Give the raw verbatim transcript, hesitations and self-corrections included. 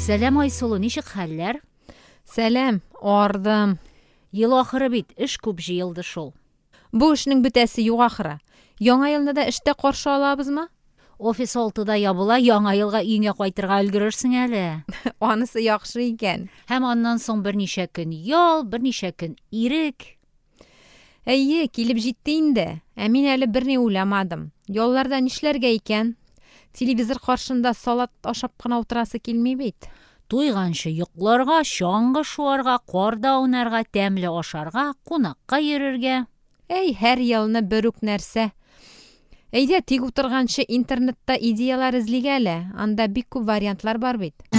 Сәлам, Айсылу, ничек хәлләр? Сәлам, ардым. Ел ахыры бит, эш күп җыелды шул. Бу эшнең бетәсе юк ахыры. Яңа елны да эштә каршы алабызмы? Офис алтыда ябыла, яңа елга өеңә кайтырга өлгерерсең әле. Анысы яхшы икән. Һәм аннан соң берничә көн ял, берничә көн ирек. Әйе, килеп җитте инде. Ә мин әле берни уйламадым. Ялларда нишләргә икән? Телевизор каршында салат ашап кына утырасы килми бит. Туйганчы йокларга, чаңгы шуарга, карда аунарга, тәмле ашарга, кунакка йөрергә. Әй, һәр елны бер үк нәрсә. Әйдә, тик утырганчы интернетта идеялар эзлик әле. Анда бик күп вариантлар бар бит.